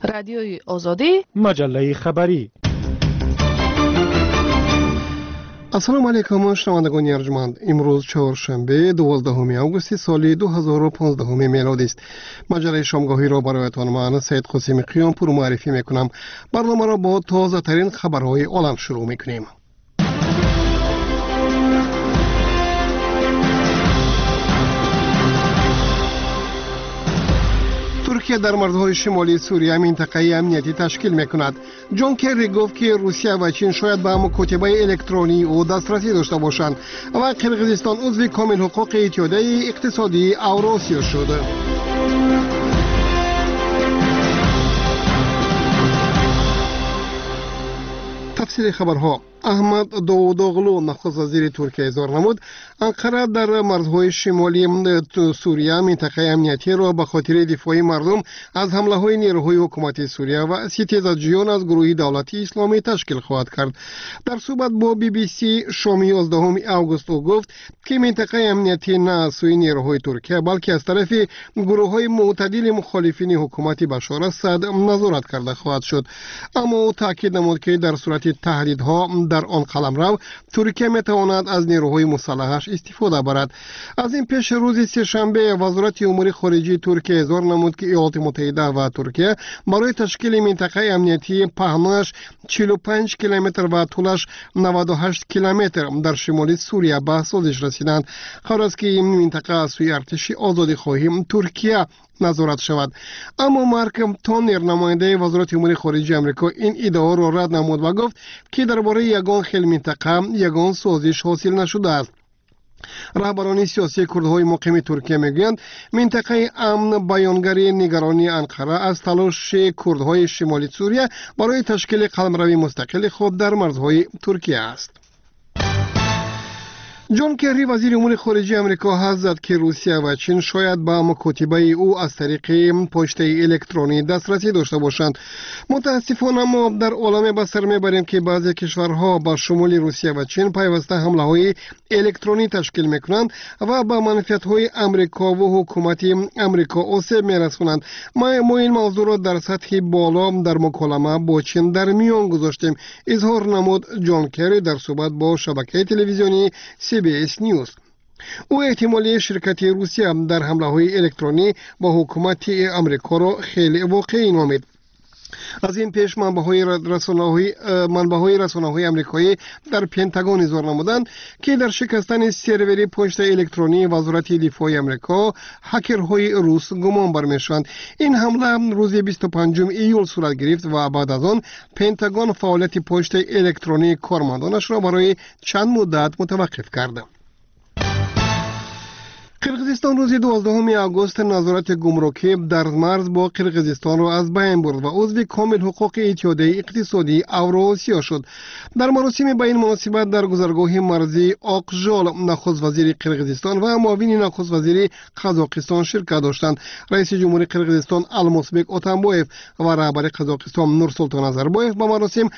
Радиои Озодӣ, маҷаллаи хабарӣ. Ассалому алайкум, шунавандагони арҷманд. Имрӯз чоршанбе, 12 августи соли 2015 мелодист. Маҷаллаи шомгоҳиро бароятон ман, Саид Қосими Қиёмпур, муаррифӣ мекунам. Барномаро бо тозатарин хабарҳои олам шурӯъ мекунем. Туркия дар марзҳои шимолии Сурия минтақаи амниятӣ ташкил мекунад. Ҷон Керри гуфт, ки Русия ва Чин шояд ба мукотибаи электронии ӯ дастрасӣ дошта бошанд ва Қирғизистон узви комилҳуқуқи Иттиҳодияи иқтисодии Авросиё шуд. Тафсири хабарҳо. Аҳмад Довудоғлу, нахуствазири Туркия, изҳор намуд, Анқара дар марзҳои шимолии Сурия минтақаи амниятиро ба хотири дифои мардум аз ҳамлаҳои нерӯҳои ҳукумати Сурия ва ситезаҷӯён аз гурӯҳи давлатии исломӣ ташкил хоҳад кард. Дар суҳбат бо BBC шоми 11 август ӯ гуфт, ки минтақаи амниятӣ на аз сӯи нерӯҳои Туркия, балки аз тарафи гурӯҳҳои мӯътадили мухолифини ҳукумати Башор Асад назорат карда хоҳад шуд. Аммо ӯ таъкид намуд, ки дар сурати таҳдидҳо дар он қаламрав Туркия метавонад аз нерӯҳои мусаллаҳаш истифода барад. Аз ин пеш рӯзи сешанбе Вазорати умури хориҷии Туркия изҳор намуд, ки Иёлоти Муттаҳида ва Туркия барои ташкили минтақаи амниятии паҳнояш 45 километр ва тӯлаш 98 километр дар шимоли Сурия ба созиш расиданд. Қарор аст, ки ин минтақа аз сӯи артиши озодихоҳи Туркия назорат шавад. Аммо Марк Тонер, намояндаи Вазорати умури хориҷии Амрико, ин иддаоро рад намуд ва гуфт, ки дар бораи ягон хел минтақа ягон созиш ҳосил нашудааст. Раҳбарони сиёсии курдҳои муқими Туркия мегӯянд, минтақаи амн баёнгари нигаронии Анқара аз талоши курдҳои шимоли Сурия барои ташкили қаламрави мустақили худ дар марзҳои Туркия аст. Ҷон Керри, вазири умури хориҷии Амрико, ҳадс зад, ки Русия ва Чин шояд ба мукотибаи ӯ аз тариқи почтаи электронӣ дастрасӣ дошта бошанд. Мутаассифона, мо дар оламе ба сар мебарем, ки баъзе кишварҳо ба шумули Русия ва Чин пайваста ҳамлаҳои электронӣ ташкил мекунанд ва ба манфиатҳои Амрикову ҳукумати Амрико осеб мерасонанд. Мо ин мавзӯъро дар сатҳи боло дар муколама бо Чин дар миён гузоштем, изҳор намуд Ҷон Керри дар суҳбат бо шабакаи телевизионии CBS News. Ӯ эҳтимоли ширкати Русия дар ҳамлаҳои электронӣ ба ҳукумати Амрикоро хеле воқеӣ номид. Аз ин пеш манбаъҳои расонаҳои амрикоӣ дар Пентагон изҳор намуданд, ки дар шикастани сервери почтаи электронии Вазорати дифои Амрико ҳакерҳои рус гумон бармешаванд. Ин ҳамла рӯзи 25 июл сурат гирифт ва баъд аз он Пентагон фаъолияти почтаи электронии кормандонашро барои чанд муддат мутаваққиф кард. Қирғизистон рӯзи 12 август назорати гумрукӣ дар марз бо Қирғизистонро аз байн бурд ва узви комилҳуқуқи Иттиҳодияи иқтисодии Авроосиё шуд. Дар маросими ба ин муносибат дар гузаргоҳи марзии Оқжол нахуствазири Қирғизистон ва муовини нахуствазири Қазоқистон ширкат доштанд. Раиси ҷумҳури Қирғизистон Алмосбек Отамбоев ва раҳбари Қазоқистон Нурсултон Назарбоев ба маросим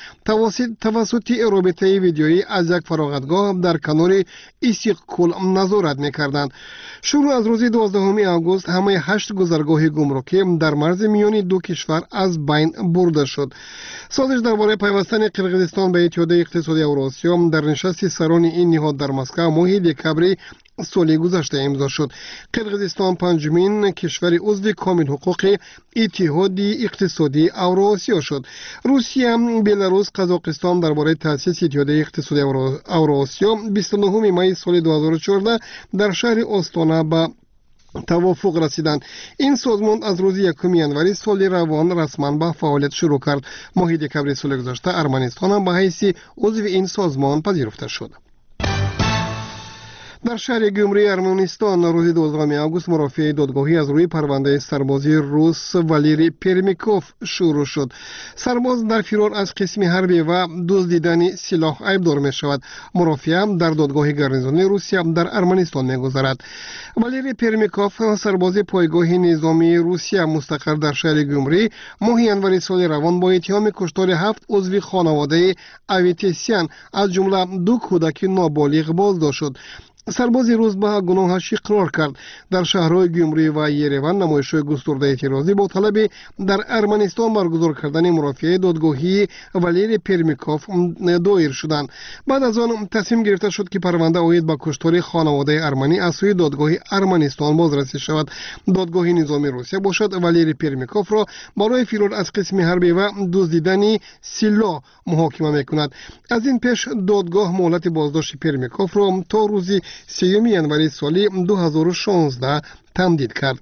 тавассути робитаи видеоӣ аз як фароғатгоҳ дар канори Исиқкул назорат мекарданд. Шурӯъ аз рӯзи 12 август ҳамаи ҳашт гузаргоҳи гумрукӣ дар марзи миёни ду кишвар аз байн бурда шуд. Созиш дар бораи пайвастани Қирғизистон ба Иттиҳодияи иқтисодии Авросиё дар нишасти сарони ин ниҳод дар Москва моҳи декабри соли гузашта имзо шуд. Қирғизистон панҷумин кишвари узви комилҳуқуқи Иттиҳоди иқтисодии Авроосиё шуд. Русия, Беларус, Қазоқистон дар бораи таъсиси Иттиҳодияи иқтисодии Авроосиё 29 майи соли 2014 дар шаҳри Остона ба тавофуқ расиданд. Ин созмон аз рӯзи 1 январи соли равон расман ба фаъолият шурӯъ кард. Моҳи декабри соли гузашта Арманистон ҳам ба ҳайси узви ин созмон пазируфта шуд. Дар шаҳри Гюмрии Арманистон рӯзи 12 август мурофиаи додгоҳӣ аз рӯи парвандаи сарбози рус Валерий Пермиков шурӯъ шуд. Сарбоз дар фирор аз қисми ҳарбӣ ва дуздидани силоҳ айбдор мешавад. Мурофиа дар додгоҳи гарнизони Русия дар Арманистон мегузарад. Валерий Пермиков, сарбози пойгоҳи низомии Русия мустақар дар шаҳри Гюмрӣ, моҳи январи соли равон бо иттиҳоми куштори ҳафт узви хонаводаи Аветисян, аз ҷумла ду кӯдаки ноболиғ, боздошт шуд. Сарбози рус ба гуноҳаш иқрор кард. Дар шаҳрҳои Гюмрӣ ва Ереван намоишҳои густурдаи эътирозӣ бо талаби дар Арманистон баргузор кардани мурофиаи додгоҳии Валерий Пермяков доир шуданд. Баъд аз он тасмим гирифта шуд, ки парванда оид ба куштори хонаводаи арманӣ аз сӯи додгоҳи Арманистон бозрасӣ шавад. Додгоҳи низомии Русия бошад, Валерий Пермяковро барои фирор аз қисми ҳарбӣ ва дуздидани силоҳ муҳокима мекунад. Аз ин пеш додгоҳ муҳлати боздошти Пермяковро то рӯзи 3 январи соли 2016 тамдид кард.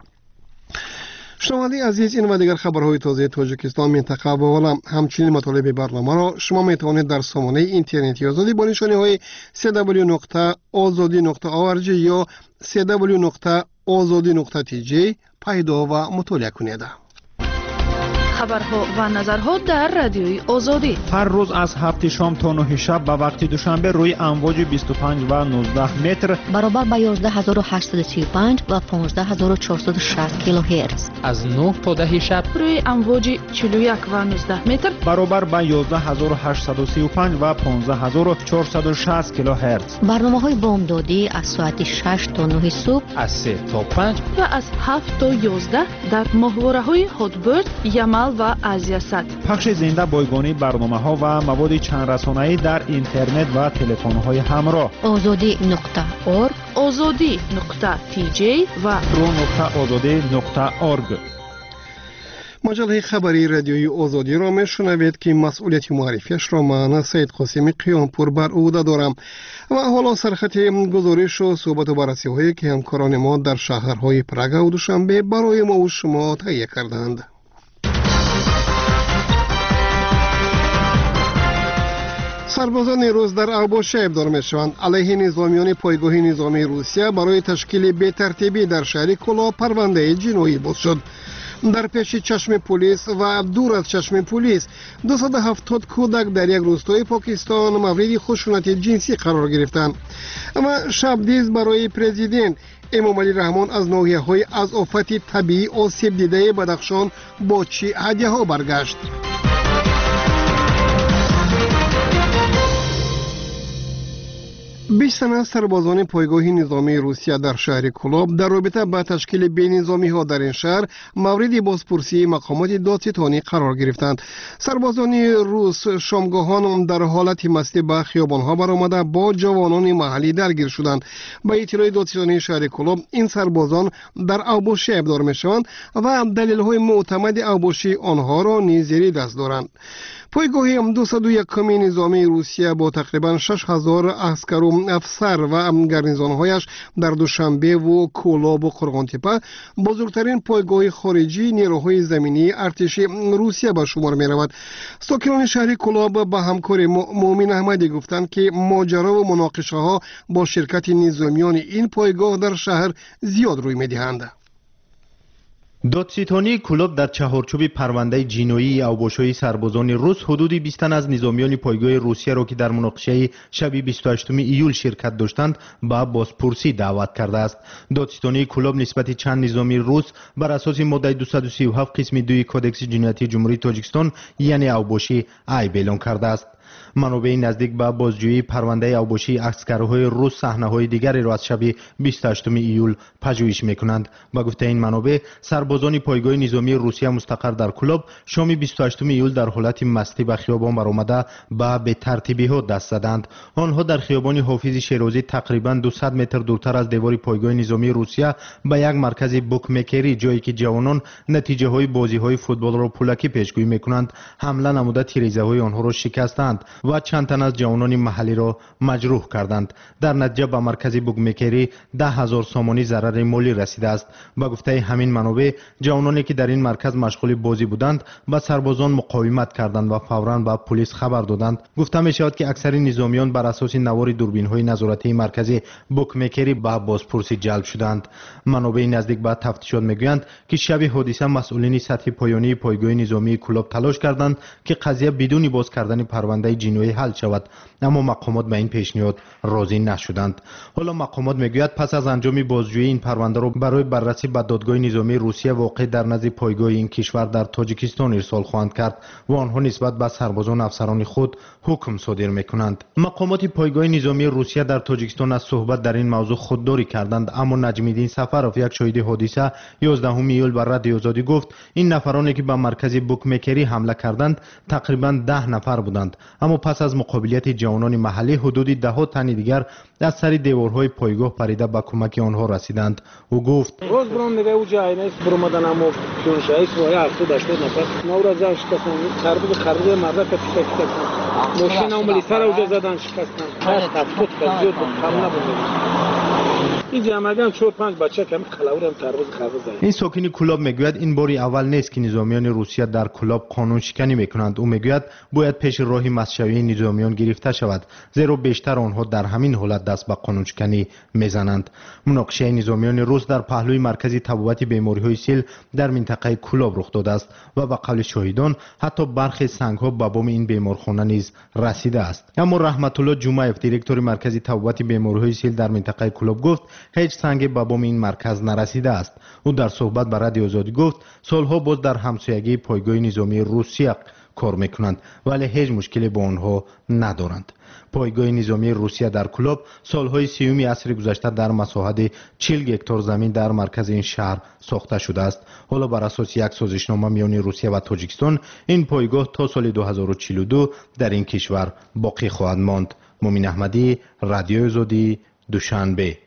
Шунавандаи азиз, ин ва дигар хабарҳои тозаи Тоҷикистон, минтақа ва олам, ҳамчунин матолиби барномаро шумо метавонед дар сомонаи интернетии Озодӣ бо нишониҳои cw.ozodi.org ё cw.ozodi.tj пайдо ва мутолиа кунед. Хабарҳо ва назарҳо дар Радиои Озодӣ ҳар рӯз аз 7 шом то 9 шаб ба вақти Душанбе рӯи амвоҷи 25 ва 19 метр баробар ба 11835 ва 15460 килогерц, аз 9 то 10 шаб рӯи амвоҷи 41 ва 19 метр баробар ба 11835 ва 15460 килогерц. Барномаҳои бомдодӣ аз соати 6 то 9 субҳ, аз 3 то 5 ва аз 7 то 11 дар моҳвораҳои Ҳотберд, Ямал ва Азиясат. Пахши зинда бойгонии барномаҳо ва маводи чандрасонаӣ дар интернет ва телефонҳои ҳамроҳ. Озодӣ.org, Озодӣ.tj ва ru.ozodi.org. Маҷаллаи хабарии Радиои Озодиро мешунавед, ки масъулияти муаррифиашро ман, Саид Қосими Қиёмпур, бар ӯҳда дорам. Ва ҳоло сархати гузоришу суҳбату баррасиҳое, ки ҳамкорони мо дар шаҳрҳои Прагаву Душанбе барои мову шумо таҳия карданд. Сарбозони рус дар авбошӣ айбдор мешаванд. Алайҳи низомиёни пойгоҳи низомии Русия барои ташкили бетартибӣ дар шаҳри Кӯлоб парвандаи ҷиноӣ боз шуд. Дар пеши чашми пулис ва дур аз чашми пулис 270 кӯдак дар як рӯстои Покистон мавриди хушунати ҷинсӣ қарор гирифтанд. Ва шабдиз барои президент Эмомалӣ Раҳмон аз ноҳияҳои аз офати табиӣ осеб дидаи Бадахшон бо чӣ ҳадяҳо баргашт. 20 тан аз сарбозони пойгоҳи низомии Русия дар шаҳри Кӯлоб дар робита ба ташкили бенизомиҳо дар ин шаҳр мавриди бозпурсии мақомоти додситонӣ қарор гирифтанд. Сарбозони рус шомгоҳон дар ҳолати мастӣ ба хиёбонҳо баромада бо ҷавонони маҳаллӣ даргир шуданд. Ба иттилои додситонии шаҳри Кӯлоб, ин сарбозон дар авбошӣ айбдор мешаванд ва далелҳои мӯътамади авбошии онҳоро низ зери даст доранд. Пойгоҳи 201-ми низомии Русия бо тақрибан 6000 аскару афсар ва гарнизонҳояш дар Душанбеву Кӯлобу Қурғонтепа бузургтарин пойгоҳи хориҷии нерӯҳои заминии артиши Русия ба шумор меравад. Сокинони шаҳри Кӯлоб ба ҳамкори Муъмин Аҳмадӣ гуфтанд, ки моҷарову муноқишаҳо бо ширкати низомиёни ин пойгоҳ дар шаҳр зиёд рӯй медиҳанд. Додситонии Кӯлоб дар чаҳорчӯби парвандаи ҷиноии авбошои сарбозони рус ҳудуди 20 тан аз низомиёни пойгоҳи Русияро, ки дар муноқишаи шаби 28 июл ширкат доштанд, ба бозпурсӣ даъват кардааст. Додситонии Кӯлоб нисбати чанд низомии рус бар асоси моддаи 237 қисми 2 Кодекси ҷиноятии Ҷумҳурии Тоҷикистон, яъне авбошӣ, айб эълон кардааст. Манобеи наздик ба бозҷӯии парвандаи авбошии аскарҳои рус саҳнаҳои дигареро аз шаби 28 июл пажӯҳиш мекунанд. Ба гуфтаи ин манобеъ, сарбозони пойгоҳи низомии Русия мустақар дар Кӯлоб шоми 28 июл дар ҳолати мастӣ ба хиёбон баромада ба бетартибиҳо даст заданд. Онҳо дар хиёбони Ҳофизи Шерозӣ тақрибан 200 метр дуртар аз девори пойгоҳи низомии Русия ба як маркази букмекерӣ, ҷое ки ҷавонон натиҷаҳои бозиҳои футболро пулакӣ пешгӯӣ мекунанд, ҳамла намуда тирезаҳои онҳоро шикастанд ва чанд тан аз ҷавонони маҳаллиро маҷрӯҳ карданд. Дар натиҷа ба маркази букмекерӣ 10 000 сомонӣ зарари молӣ расидааст. Ба гуфтаи ҳамин манобеъ, ҷавононе ки дар ин марказ машғули бозӣ буданд, ба сарбозон муқовимат карданд ва фавран ба пулис хабар доданд. Гуфта мешавад, ки аксари низомиён бар асоси навори дурбинҳои назоратии маркази букмекерӣ ба бозпурсӣ ҷалб шуданд. Манобеи наздик ба тафтишот мегӯянд, ки шаби ҳодиса масъулини сатҳи поёнии пойгоҳи низомии Кӯлоб талош карданд, ки қазия бидуни боз кардани парвандаи парвандаи ҷиноӣ ҳал шавад, аммо мақомот ба ин пешниҳод розӣ нашуданд. Ҳоло мақомот мегӯяд, пас аз анҷоми бозҷӯӣ ин парвандаро барои баррасӣ ба додгоҳи низомии Русия воқеъ дар назди пойгоҳи ин кишвар дар Тоҷикистон ирсол хоҳанд кард ва онҳо нисбат ба сарбозону афсарони худ ҳукм содир мекунанд. Мақомоти пойгоҳи низомии Русия дар Тоҷикистон аз суҳбат дар ин мавзӯъ худдорӣ карданд, аммо Наҷмиддин Сафаров, як шоҳиди ҳодиса, 11 июл ба Радиои Озодӣ гуфт, ин нафароне ки ба маркази букмекерӣ ҳамла карданд, тақрибан 10 нафар буданд, аммо пас аз муқобилияти ҷавонони маҳаллӣ ҳудуди даҳҳо тани дигар аз сари деворҳои пойгоҳ парида ба кӯмаки онҳо расиданд. Ӯ гуфт: роз баром уҷа айнас баромадан, амо пюншаис ва 70-80 нафар навра зан шикастан, қарбуз қарбуз мардака пита шикастан, мошина милисара уҷа задан шикастан, 70 кас зиёд буд, кам набуд. Ин сокини Кӯлоб мегӯяд, ин бори аввал нест, ки низомиёни Русия дар Кӯлоб қонуншиканӣ мекунанд. Ӯ мегӯяд, бояд пеши роҳи мастшавии низомиён гирифта шавад, зеро бештар онҳо дар ҳамин ҳолат даст ба қонуншиканӣ мезананд. Муноқишаи низомиёни рус дар паҳлӯи маркази табобати бемориҳои сил дар минтақаи Кӯлоб рух додааст ва ба қавли шоҳидон ҳатто бархе сангҳо ба боми ин беморхона низ расидааст. Аммо Раҳматулло Ҷумаев, директори маркази табобати бемориҳои сил дар минтақаи Кӯлоб, гуфт, ҳеҷ санге ба боми ин марказ нарасидааст. Ӯ дар суҳбат ба Радиои Озодӣ гуфт, солҳо боз дар ҳамсоягии пойгоҳи низомии Русия кор мекунанд, вале ҳеҷ мушкиле бо онҳо надоранд. Пойгоҳи низомии Русия дар Кӯлоб солҳои 30-уми асри гузашта дар масоҳати 40 гектор замин дар маркази ин шаҳр сохта шудааст. Ҳоло бар асоси як созишнома миёни Русия ва Тоҷикистон ин пойгоҳ то соли 2042 дар ин кишвар боқӣ хоҳад монд. Мумин Аҳмадӣ, Радиои Озодӣ, Душанбе.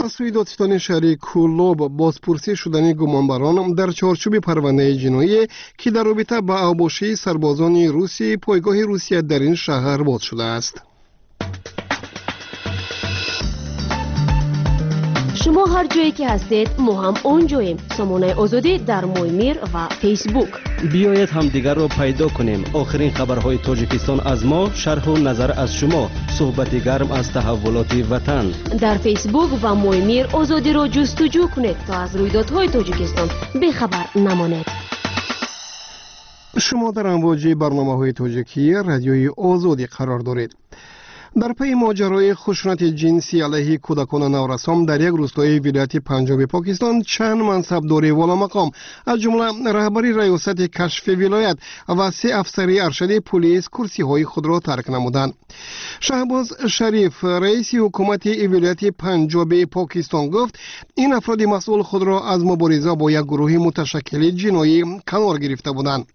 Аз сӯи додситони шаҳри Кӯлоб бозпурсӣ шудани гумонбарон дар чорчӯби парвандаи ҷиноие, ки дар робита ба авбошии сарбозони русии пойгоҳи Русия дар ин шаҳр боз шудааст. Шумо ҳар ҷое ки ҳастед, мо ҳам он ҷоем. Сомонаи Озодӣ дар Моймир ва Фейсбук. Биёед ҳамдигарро пайдо кунем. Охирин хабарҳои Тоҷикистон аз мо, шарҳу назар аз шумо, суҳбати гарм аз таҳаввулоти ватан. Дар Фейсбук ва Моймир Озодиро ҷустуҷӯ кунед, то аз рӯйдодҳои Тоҷикистон бехабар намонед. Шумо дар амвоҷи барномаҳои тоҷикии Радиои Озодӣ қарор доред. Дар пайи моҷарои хушунати ҷинсӣ алайҳи кӯдакону наврасон дар як рӯстои вилояти Панҷоби Покистон чанд мансабдори воломақом, аз ҷумла раҳбари раёсати кашфи вилоят ва 3 афсари аршади пулис курсиҳои худро тарк намуданд. Шаҳбоз Шариф, раиси ҳукумати вилояти Панҷоби Покистон, гуфт, ин афроди масъул худро аз мубориза бо як гурӯҳи муташаккили ҷиноӣ канор гирифта буданд.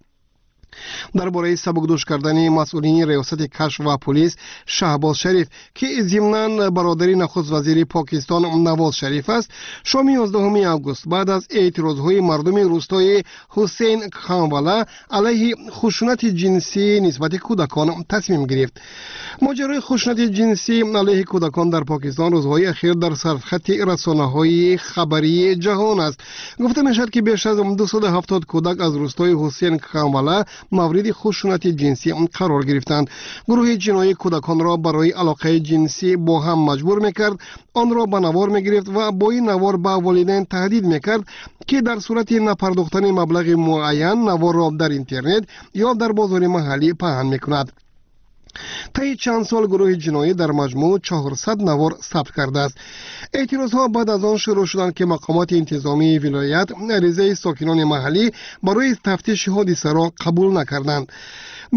Дар бораи сабукдӯш кардани масъулини раёсати кашф ва пулис Шаҳбоз Шариф, ки зимнан бародари нахуст вазири Покистон Навоз Шариф аст, шоми 11 август баъд аз эътирозҳои мардуми рӯстои Ҳусейн Ханвала алайҳи хушунати ҷинсӣ нисбати кӯдакон тасмим гирифт. Моҷарои хушунати ҷинсӣ алайҳи кӯдакон дар Покистон рӯзҳои ахир дар сархати расонаҳои хабарии ҷаҳон аст. Гуфта мешавад, ки беш аз 270 кӯдак аз рӯстои Ҳусейн Ханвала мавриди хушунати ҷинсӣ қарор гирифтанд. Гурӯҳи ҷиноӣ кӯдаконро барои алоқаи ҷинсӣ бо ҳам маҷбур мекард, онро ба навор мегирифт ва бо ин навор ба волидайн таҳдид мекард, ки дар сурати напардохтани маблағи муайян наворро дар интернет ё дар бозори маҳаллӣ паҳн мекунад. Таи чанд сол гурӯҳи ҷиноӣ дар маҷмӯъ 400 навор сабт кардааст. Эътирозҳо баъд аз он шурӯъ шуданд, ки мақомоти интизомии вилоят аризаи сокинони маҳаллӣ барои тафтиши ҳодисаро қабул накарданд.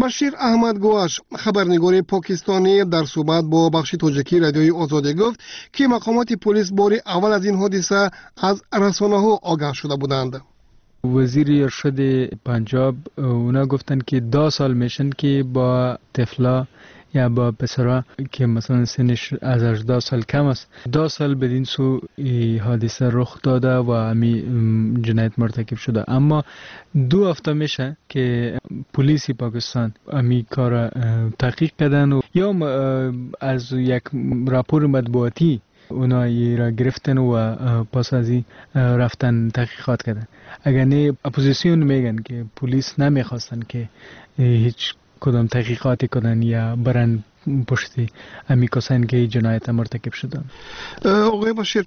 Башир Аҳмад Гуаш, хабарнигори покистонӣ, дар суҳбат бо бахши тоҷикии Радиои Озодӣ гуфт, ки мақомоти полис бори аввал аз ин ҳодиса аз расонаҳо огаҳ шуда буданд. وزیر ارشاد پنجاب اونا گفتن که 10 سال میشن که با طفلا یا با پسرا که مثلا سنش از 18 سال کم است، 10 سال بدین سو حادثه رخ داده و همی جنایت مرتکب شده. اما 2 هفته میشه که پلیس پاکستان همی کار تحقیق کردن و یا از یک راپور مطبوعاتی اونا را گرفتن و پس از این رفتن تحقیقات کردن. اگر نه اپوزیسیون میگن که پلیس نمیخواستن که هیچ کدام تحقیقاتی کنن یا برن پشت امی کسانی که جنایت مرتکب شدن. آقای بشیر،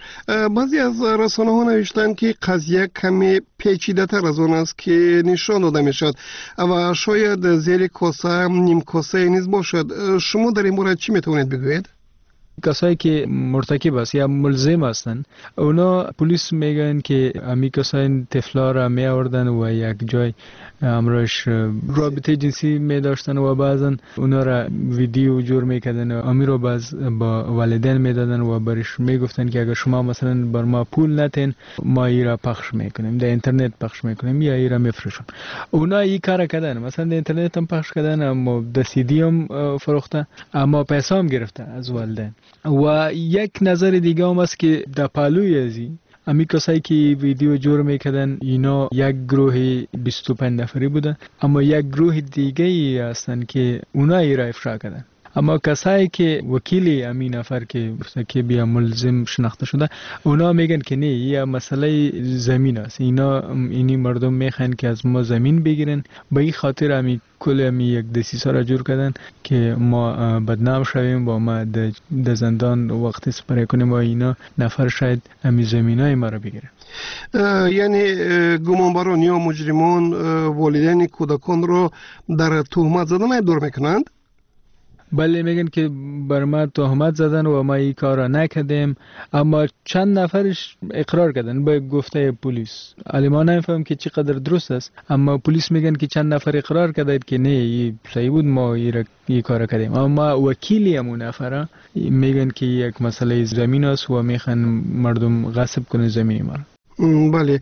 بعضی از رسانه ها نوشتند که قضیه کمی پیچیده تر از آن است که نشان داده می شود و شاید زیر کاسه نیم کاسه نیز باشد. شما در این مورد چی می توانید بگویید؟ کسایی که مرتکب است یا ملزم هستند، اونا پلیس میگن که امی کسای طفلا را می آوردن و یک جای امرش رابطه جنسی می داشتن و بعضا اونا را ویدیو جور میکردن و امی رو باز با والدین میدادن و برش میگفتن که اگر شما مثلا بر ما پول نتین، ما ای را پخش میکنیم، در اینترنت پخش میکنیم یا ای را میفروشیم. اونا ای کار کردن، مثلا در اینترنت هم پخش کردن، اما در سی دی هم فروخته، اما پیسه هم گرفته از والدین. و یک نظر دیگه هم است که در پالوی ازی امی کسایی که ویدیو جور میکردن، اینا یک گروه 25 نفری بودن، اما یک گروه دیگه ای هستن که اونا ای را افشا کردن. اما کسایی که وکیل امی نفر که بیا ملزم شناخته شده، اونا میگن که نه، یه مسئله زمین است، اینا اینی مردم میخوان که از ما زمین بگیرن، به این خاطر امی کل امی یک دسیسه را جور کردن که ما بدنام شویم با ما در زندان وقت سپری کنیم و اینا نفر شاید امی زمین های ما را بگیرن. یعنی گمانبران یا مجرمان والدین کودکان را در تهمت زدن دور میکنند؟ بله، میگن که بر ما تهمت زدن و ما این کار را نکردیم، اما چند نفرش اقرار کردن به گفته پلیس. علی ما نمیفهم که چقدر درست است، اما پلیس میگن که چند نفر اقرار کردند که نه، این صحیح بود، ما این کار کردیم. اما وکیلی همون نفر میگن که یک مسئله زمین است و میخوان مردم غصب کنه زمین ما. Бале,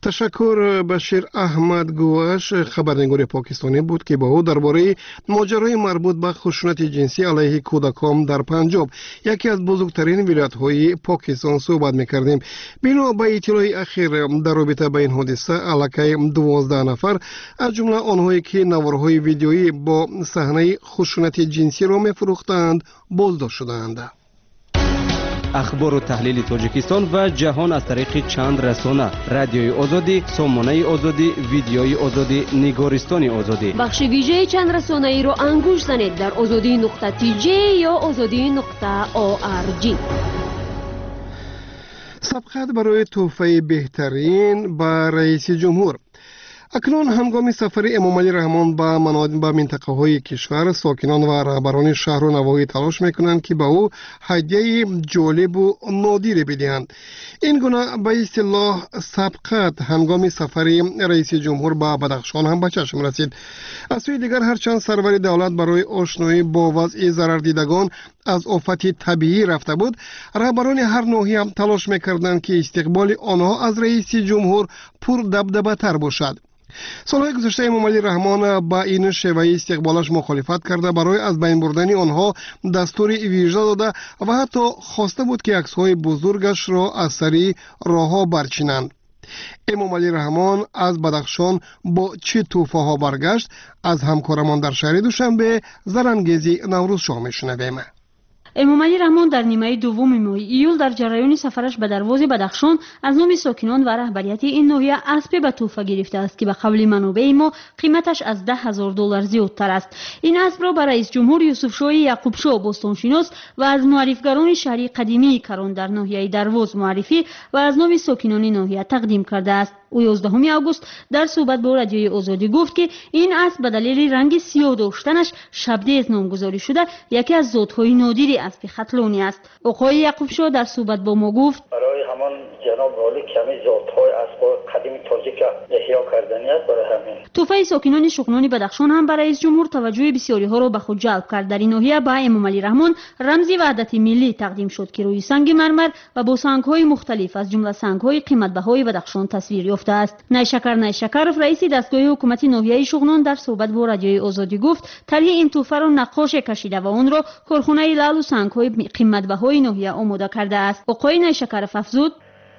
ташаккур. Башир Аҳмад Гуваш, хабарнигори покистонӣ буд, ки бо ӯ дар бораи моҷарои марбут ба хушунати ҷинсӣ алайҳи кӯдакон дар Панҷоб, яке аз бузургтарин вилоятҳои Покистон, суҳбат мекардем. Бино ба иттилои ахир, дар робита ба ин ҳодиса аллакай 12 нафар, аз ҷумла онҳое ки наворҳои видеоӣ бо саҳнаи хушунати ҷинсиро мефурӯхтаанд, боздошт шудаанд. Ахбору таҳлили Тоҷикистон ва ҷаҳон аз тариқи чанд расона: Радиои Озодӣ, Сомонаи Озодӣ, Видеои Озодӣ, Нигористони Озодӣ. Бахши вижаи чандрасонаиро ангуш занед дар озодӣ.тж ё озодӣ.орг. Сабқат барои тӯҳфаи беҳтарин ба раиси ҷумҳур. Акнун ҳангоми сафари Эмомалӣ Раҳмон ба минтақаҳои кишвар, сокинон ва раҳбарони шаҳру навоҳӣ талош мекунанд, ки ба ӯ ҳадияи ҷолибу нодире бидиҳанд. Ин гуна ба истилоҳ сабқат ҳангоми сафари раиси ҷумҳур ба Бадахшон ҳам ба чашм расид. Аз сӯи дигар, ҳарчанд сарвари давлат барои ошноӣ бо вазъи зарардидагон аз офати табиӣ рафта буд, раҳбарони ҳар ноҳия талош мекарданд, ки истиқболи онҳо аз раиси ҷумҳур пурдабдабатар бошад. Солҳои гузашта Эмомалӣ Раҳмон ба ин шеваи истиқболаш мухолифат карда, барои аз байн бурдани онҳо дастури вижа дода ва ҳатто хоста буд, ки аксҳои бузургашро аз сари роҳҳо барчинанд. Эмомалӣ Раҳмон аз Бадахшон бо чӣ тӯҳфаҳо баргашт, аз ҳамкорамон дар шаҳри Душанбе Зарангези Наврӯзшоҳ мешунавем. Эмомалӣ Раҳмон дар нимаи дуввуми моҳи июл дар ҷараёни сафараш ба Дарвози Бадахшон аз номи сокинон ва раҳбарияти ин ноҳия аспе ба тӯҳфа гирифтааст, ки ба қавли манобеи мо қиматаш аз 10 000 доллар зиёдтар аст. Ин аспро ба раисҷумҳур Юсуфшоҳи Яъқубшоҳ, бостоншинос ва аз муаррифгарони шаҳри қадимии Карон дар ноҳияи Дарвоз, муаррифӣ ва аз номи сокинони ноҳия тақдим кардааст. Ӯ 11 август дар суҳбат бо Радиои Озодӣ гуфт, ки ин асп ба далели ранги сиёҳ доштанаш Шабдез номгузорӣ шуда, яке аз зотҳои нодири аспи хатлонӣ аст. Оқои Яъқубшоҳ дар суҳбат бо мо гуфт: Барои ҳамон ҷаноби олӣ, ки ҳамин зотҳои аспҳои қадими тоҷика эҳё кардани аст, барои ҳамин. Тӯҳфаи сокинони Шуғнони Бадахшон ҳам ба раисҷумҳур таваҷҷӯҳи бисёриҳоро ба худ ҷалб кард. Дар ин ноҳия ба Эмомалӣ Раҳмон рамзи ваҳдати миллӣ тақдим шуд, ки рӯи санги мармар ва бо сангҳои мухталиф, аз ҷумла сангҳои қиматбаҳои Бадахшон, тасвир ёфтааст. Найшакар Найшакаров, раиси дастгоҳи ҳукумати ноҳияи Шуғнон, дар суҳбат бо Радиои Озодӣ гуфт, тарҳи ин тӯҳфаро наққоше кашида ва онро корхонаи лаълу сангҳои қиматбаҳои ноҳия омода кардааст. Оқои Найшакаров афзуд: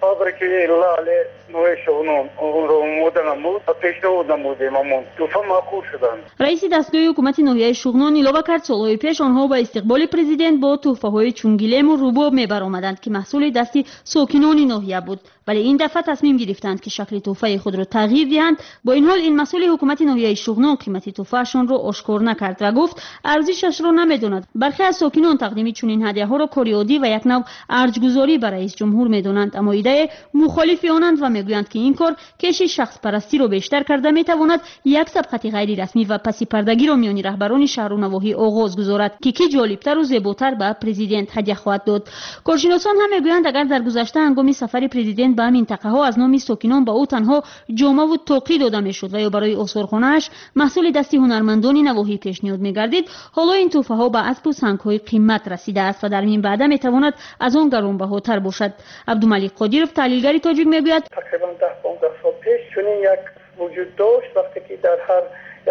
Фабрики лаъли ноҳияи Шуғнон онро омода намуд ва пешниҳод намудем, ҳамон тӯҳфа маъқул шуданд. Раиси дастгоҳи ҳукумати ноҳияи Шуғнон илова кард, солҳои пеш онҳо ба истиқболи президент бо тӯҳфаҳои чун гилему рубоб мебаромаданд, ки маҳсули дасти сокинони ноҳия буд. Вале ин дафъа тасмим гирифтанд, ки шакли тӯҳфаи худро тағйир диҳанд. Бо ин ҳол ин масъули ҳукумати ноҳияи Шуғнон қимати тӯҳфаашонро ошкор накард ва гуфт, арзишашро намедонад. Бархе аз сокинон тақдими чунин ҳадияҳоро кори оддӣ ва як нав арҷгузорӣ ба раис ҷумҳур медонанд, аммо идае мухолифи онанд ва мегӯянд, ки ин кор кеши шахспарастиро бештар карда метавонад як сабқати ғайрирасмӣ ва пасипардагиро миёни раҳбарони шаҳру навоҳӣ оғоз гузорад, ки кӣ ҷолибтару зеботар ба президент ҳадя хоҳад дод. Коршиносон ҳам мегӯянд, агар дар гузашта ҳангоми сафари президент ба минтақаҳо аз номи сокинон ба ӯ танҳо ҷомаву тоқӣ дода мешуд ва ё барои осорхонааш маҳсули дасти ҳунармандони навоҳӣ пешниҳод мегардид, ҳоло ин тӯҳфаҳо ба аспу сангҳои қимат расидааст ва дар минбаъда метавонад аз он гаронбаҳотар бошад. Абдумалик Қодиров, таҳлилгари тоҷик, мегӯяд: тақрибан 10-15 сол пеш чунин як вуҷуд дошт, вақте ки дар ҳар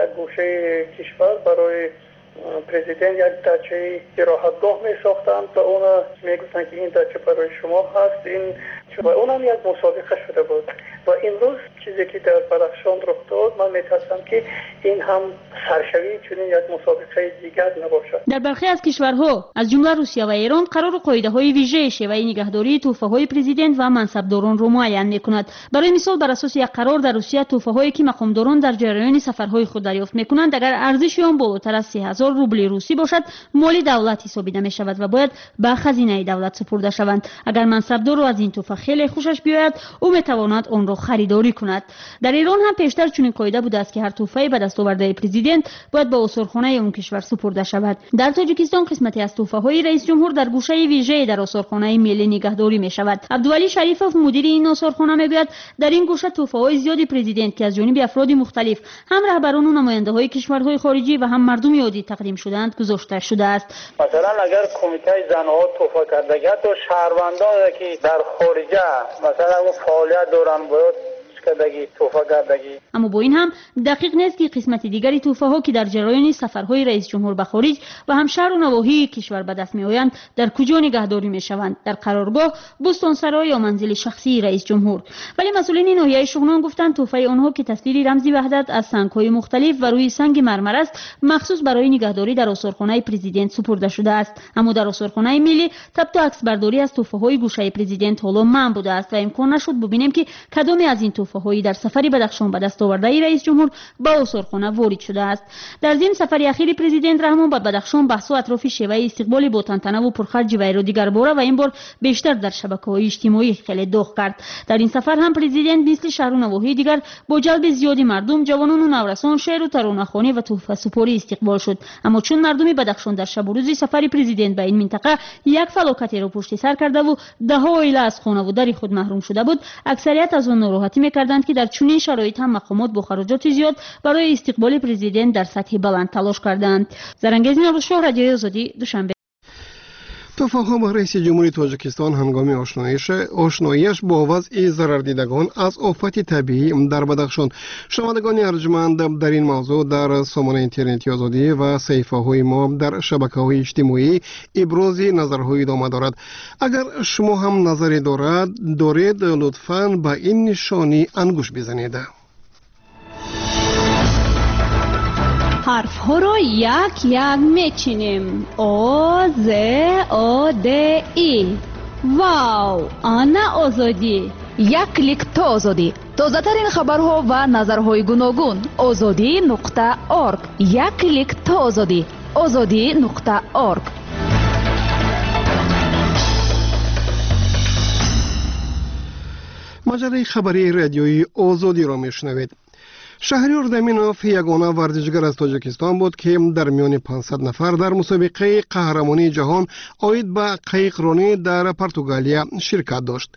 як гӯшаи кишвар барои президент як дачаи истироҳатгоҳ месохтанд ва она мегуфтанд, ки ин дача барои шумо ҳаст, ин ва онам як мусобиқа шуда буд. Ва имрӯз чизе ки дар Бадахшон рух дод, ман метарсам, ки ин ҳам саршавии чунин як мусобиқаи дигар набошад. Дар бархе аз кишварҳо, аз ҷумла Русия ва Эрон, қарору қоидаҳои вижаи шеваи нигаҳдории тӯҳфаҳои президент ва мансабдоронро муайян мекунад. Барои мисол, бар асоси як қарор дар Русия тӯҳфаҳое, ки мақомдорон дар ҷараёни сафарҳои худ дарёфт мекунанд, агар арзиши он болотар аз 3000 рубли русӣ бошад, моли давлат ҳисобида мешавад ва бояд ба хазинаи давлат супурда шаванд. Агар мансабдорро аз ин тӯҳфа хеле хушаш биёяд, ӯ метавонад онро харидорӣ кунад. Дар Эрон ҳам пештар чунин қоида будааст, ки ҳар тӯҳфаи ба даст овардаи президент бояд ба осорхонаи он кишвар супурда шавад. Дар Тоҷикистон қисмате аз тӯҳфаҳои раисҷумҳур дар гӯшаи вижае дар осорхонаи миллӣ нигаҳдорӣ мешавад. Абдувалӣ Шарифов, мудири ин осорхона, мегӯяд, дар ин гӯша тӯҳфаҳои зиёди президент, ки аз ҷониби афроди мухталиф, ҳам раҳбарону намояндаҳои кишварҳои хориҷӣ ва ҳам мардуми оддӣ тақдим шудаанд, гузошта шудааст. Масалан, агар кумитаи занҳо тӯҳфа кардагӣ, ҳатто шаҳрвандоне, ки дар хориҷа масалан фаъолият доранд, бояд кардагӣ, тӯҳфа кардагӣ. Аммо бо ин ҳам дақиқ нест, ки қисмати дигари тӯҳфаҳо, ки дар ҷараёни сафарҳои раисҷумҳур ба хориҷ ва ҳам шаҳру навоҳии кишвар ба даст меоянд, дар куҷо нигаҳдорӣ мешаванд: дар қароргоҳ, бӯстонсаро ё манзили шахсии раисҷумҳур. Вале масъулини ноҳияи Шуғнон гуфтанд, тӯҳфаи онҳо, ки тасвири рамзи ваҳдат аз сангҳои мухталиф ва рӯи санги мармар аст, махсус барои нигаҳдорӣ дар осорхонаи президент супурда шудааст. Аммо дар осорхонаи миллӣ табту аксбардорӣ аз тӯҳфаҳои гӯшаи президент ҳоло манъ будааст ва имкон нашуд бубинем, ки кадоме аз ин тӯҳфаҳои дар сафари Бадахшон ба даст овардаи раисҷумҳур ба осорхона ворид шудааст. Дар зимн, сафари ахири президент Раҳмон ба Бадахшон баҳсу атрофи шеваи истиқболи бо тантанаву пурхарҷи вайро дигарбора ва ин бор бештар дар шабакаҳои иҷтимоӣ хеле доғ кард. Дар ин сафар ҳам президент мисли шаҳру навоҳии дигар бо ҷалби зиёди мардум, ҷавонону наврасон, шеъру таронахонӣ ва тӯҳфасупорӣ истиқбол шуд. Аммо чун мардуми Бадахшон дар шабу рӯзи сафари президент ба ин минтақа як фалокатеро пушти сар кардаву даҳо оила аз хонаву дари худ маҳрум шуда буд, аксарият аз он нороҳатӣ мекарданд, ки дар чунин шароит ҳам мақомот бо хароҷоти зиёд барои истиқболи президент дар сатҳи баланд талош кардаанд. Зарангез Наврӯзшоҳ, Радиои Озодӣ, Душанбе. Тӯҳфаҳо ба раиси ҷумҳури Тоҷикистон ҳангоми ошноияш бо вазъи зарардидагон аз офати табиӣ дар Бадахшон. Шунавандагони арҷманд, дар ин мавзӯъ дар сомонаи интернети Озодӣ ва саҳифаҳои мо дар шабакаҳои иҷтимоӣ ибрози назарҳо идома дорад. Агар шумо ҳам назаре доред, лутфан ба ин нишонӣ ангушт бизанед. Ҳарфҳоро як як мечинем: О, З, О, Д, И. Вау, ана Озодӣ! Як клик то Озодӣ. Тозатарин хабарҳо ва назарҳои гуногун. Озодӣ нуқта орг. Як клик то Озодӣ. Озодӣ нуқта орг. Маҷаллаи хабарии Радиои Озодиро мешунавед. Шаҳриёр Даминов ягона варзишгар аз Тоҷикистон буд, ки дар миёни 500 нафар дар мусобиқаи қаҳрамонии ҷаҳон оид ба қайиқронӣ дар Португалия ширкат дошт.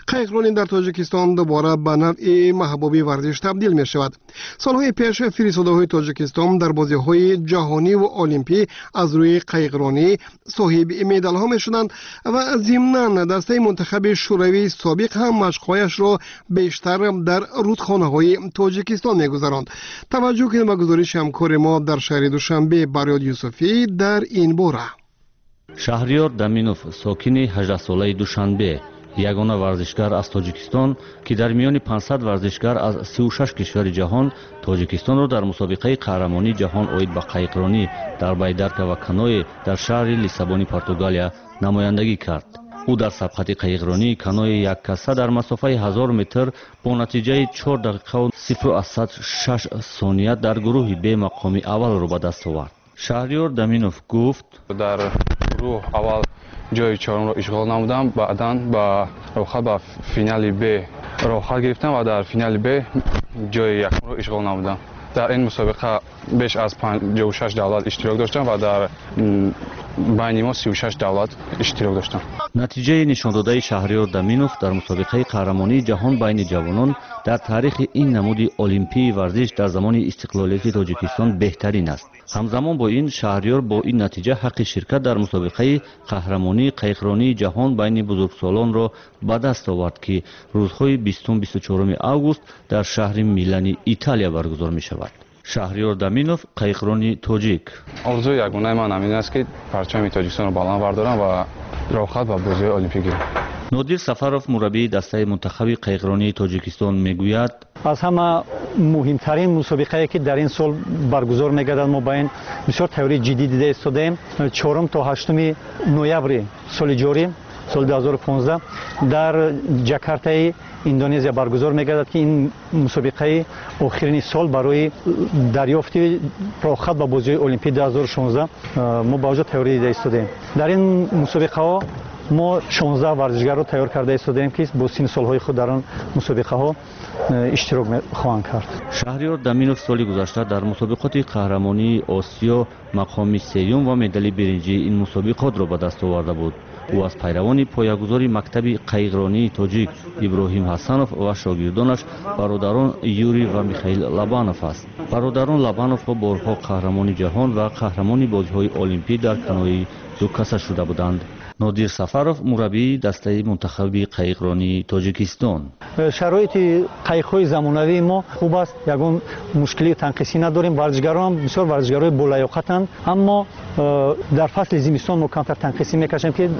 Қайиқронӣ дар Тоҷикистон дубора ба навъи маҳбуби варзиш табдил мешавад. Солҳои пеш фиристодаҳои Тоҷикистон дар бозиҳои ҷаҳониву олимпӣ аз рӯи қайиқронӣ соҳиби медалҳо мешуданд ва зимнан дастаи мунтахаби Шӯравии собиқ ҳам машқҳояшро бештар дар рудхонаҳои Тоҷикистон мегузаронд. Таваҷҷӯҳ кунед ба гузориши ҳамкори мо дар шаҳри Душанбе, Барёд Юсуфӣ, дар ин бора. Шаҳриёр Даминов, сокини 18-солаи Душанбе, ягона варзишгар аз Тоҷикистон, ки дар миёни 500 варзишгар аз 36 кишвари ҷаҳон Тоҷикистонро дар мусобиқаи қаҳрамонии ҷаҳон оид ба қайиқронӣ дар байдарка ва каное дар шаҳри Лиссабони Португалия намояндагӣ кард. Ӯ дар сабқати қайиқронии канои яккаса дар масофаи 1000 метр бо натиҷаи 4 дақиқаву 0,06 сония дар гурӯҳи Б мақоми аввалро ба даст овард. Шаҳриёр Даминов гуфт: Дар гурӯҳ аввал ҷои чорумро ишғол намудам, баъдан ба роҳхат ба финали Б роҳхат гирифтам ва дар финали Б ҷои якумро ишғол намудам. Дар ин мусобиқа беш аз 56 давлат иштирок доштанд ва дар байни мо 36 давлат иштирок доштанд. Натиҷаи нишондодаи Шаҳриёр Даминов дар мусобиқаи қаҳрамонии ҷаҳон байни ҷавонон дар таърихи ин намуди олимпии варзиш дар замони истиқлолияти Тоҷикистон беҳтарин аст. Ҳамзамон бо ин, Шаҳриёр бо ин натиҷа ҳаққи ширкат дар мусобиқаи қаҳрамонии қайиқронии ҷаҳон байни бузургсолонро ба даст овард, ки рӯзҳои 20-24 август дар шаҳри Милани Италия баргузор мешавад. Шаҳриёр Даминов, қайиқрони тоҷик. Орзуи ягонаи ман ҳамин аст, ки парчами Тоҷикистонро баланд бардорам ва роҳхат ба бозиҳои олимпӣ гирам. Нодир Сафаров, мураббии дастаи мунтахаби қайиқронии Тоҷикистон, мегӯяд: Аз ҳама муҳимтарин мусобиқае, ки дар ин сол баргузор мегардад, мо ба ин бисёр тайёрии ҷиддӣ дида истодаем. 4 то 8 ноябри соли ҷорӣ, соли 2015, дар Ҷакартаи Индонезия баргузор мегардад, ки ин мусобиқаи охирини сол барои дарёфти роҳхат ба бозиҳои олимпии 2016 мо ба оҷо тайёрӣ дида истодаем. Дар ин мусобиқаҳо мо 16 варзишгарро тайёр карда истодаем, ки бо синну солҳои худ дар он мусобиқаҳо иштирок хоҳанд кард. Шаҳриёр Даминов соли гузашта дар мусобиқоти қаҳрамонии Осиё мақоми сеюм ва медали биринҷии ин мусобиқотро ба даст оварда буд. Ӯ аз пайравони поягузори мактаби қайиқронии тоҷик Иброҳим Ҳасанов ва шогирдонаш бародарон Юрий ва Михаил Лабанов аст. Бародарон Лабановҳо борҳо қаҳрамони ҷаҳон ва қаҳрамони бозиҳои олимпӣ дар канои дукаса шуда буданд. Нодир Сафаров, мураббии дастаи мунтахаби қайиқронии Тоҷикистон. Шароити қайиқҳои замонавии мо хуб аст, ягон мушкилии танқисӣ надорем. Варзишгарон бисёр варзишгарои болаёқатанд, аммо дар фасли зимистон мо камтар танқисӣ мекашем, ки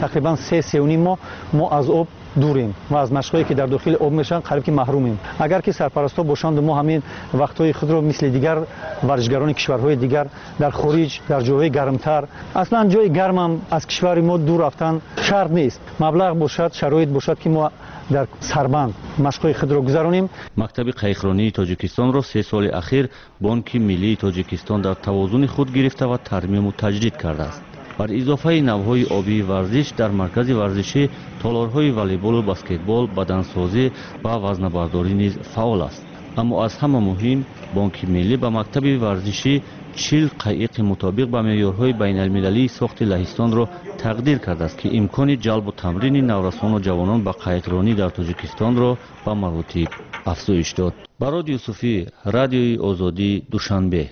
тақрибан 3-3.5 моҳ мо аз об дурем ва аз машқҳое, ки дар дохили об мешаванд, қариб ки маҳрумем. Агар ки сарпарастҳо бошанду мо ҳамин вақтҳои худро мисли дигар варзишгарони кишварҳои дигар дар хориҷ, дар ҷойҳои гармтар, аслан ҷои гармам аз кишвари мо дур рафтан шарт нест, маблағ бошад, шароит бошад, ки мо дар сарбанд машқҳои худро гузаронем. Мактаби қайиқронии Тоҷикистонро 3 соли ахир Бонки миллии Тоҷикистон дар тавозуни худ гирифта ва тармиму таҷдид кардааст. Бар изофаи навъҳои обии варзиш дар маркази варзишӣ толорҳои волейболу баскетбол, бадансозӣ ва вазнабардорӣ низ фаъол аст. Аммо аз ҳама муҳим, Бонки миллӣ ба мактаби варзишӣ 40 қайиқи мутобиқ ба меъёрҳои байналмилалии сохти Лаҳистонро тақдир кардааст, ки имкони ҷалбу тамрини наврасону ҷавонон ба қайиқронӣ дар Тоҷикистонро ба маротиб афзоиш дод. Барод Юсуфӣ, Радиои Озодӣ, Душанбе.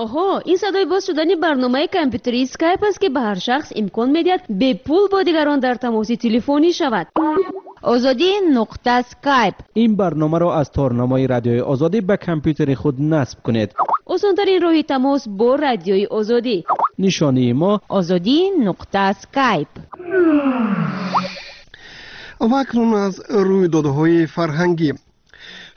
Оҳо, ин садои боз шудани барномаи компютерии Скайп аст, ки ба ҳар шахс имкон медиҳад бепул бо дигарон дар тамоси телефонӣ шавад. Озодӣ нуқта Скайп. Ин барномаро аз торнамои Радиои Озодӣ ба компютери худ насб кунед. Осонтарин роҳи тамос бо Радиои Озодӣ. Нишонии мо Озодӣ нуқта Скайп. Ва акнун аз рӯйдодҳои фарҳангӣ.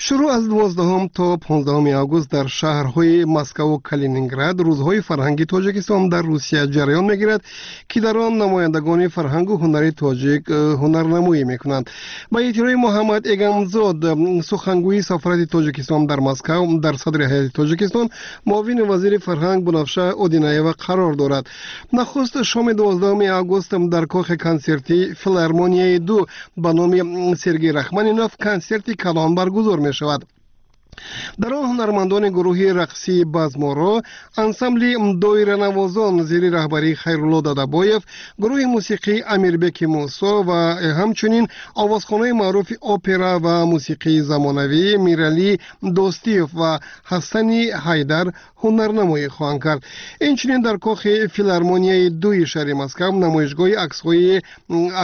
Шурӯъ аз 12 то 15 август дар шаҳрҳои Москаву Калининград рӯзҳои фарҳанги Тоҷикистон дар Русия ҷараён мегирад, ки дар он намояндагони фарҳангу ҳунари тоҷик ҳунарнамоӣ мекунанд. Ба иттилои Муҳаммад Эгамзод, сухангӯи сафорати Тоҷикистон дар Москав, дар садри ҳайати Тоҷикистон муовини вазири фарҳанг Бунафша Одинаева қарор дорад. Нахуст шоми 12 август дар кохи консертии филармонияи 2 ба номи Сергей Рахманинов консерти калон баргузор мешавад. Дар он ҳунармандони гурӯҳи рақсии Базморо, ансамбли доиранавозон зери раҳбарии Хайрулло Дадабоев, гурӯҳи мусиқии Амирбеки Мусо ва ҳамчунин овозхонаи маъруфи опера ва мусиқии замонавӣ Миралӣ Достиев ва Ҳасани Ҳайдар ҳунарнамоӣ хоҳанд кард. Инчунин дар кохи филармонияи 2 шаҳри Москав намоишгоҳи аксҳои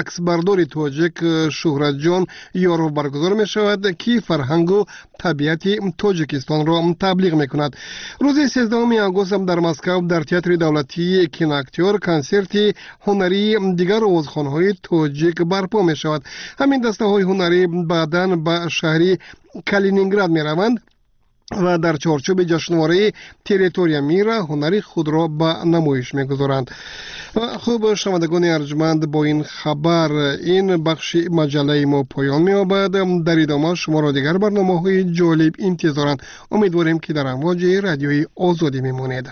аксбардори тоҷик Шӯҳратҷон Ёров баргузор мешавад, ки фарҳангу табиати Тоҷикистонро таблиғ мекунад. Рӯзи 13 август дар Москав дар театри давлатии киноактёр консерти ҳунарии дигар овозхонҳои тоҷик барпо мешавад. Ҳамин дастаҳои ҳунарӣ баъдан ба шаҳри Калининград мераванд ва дар чорчӯби ҷашнвораи «Территория мира» ҳунари худро ба намоиш мегузоранд. Хуб, шунавандагони арҷманд, бо ин хабар ин бахши маҷаллаи мо поён меёбад. Дар идома шуморо дигар барномаҳои ҷолиб интизоранд. Умедворем, ки дар амвоҷи Радиои Озодӣ мемонед.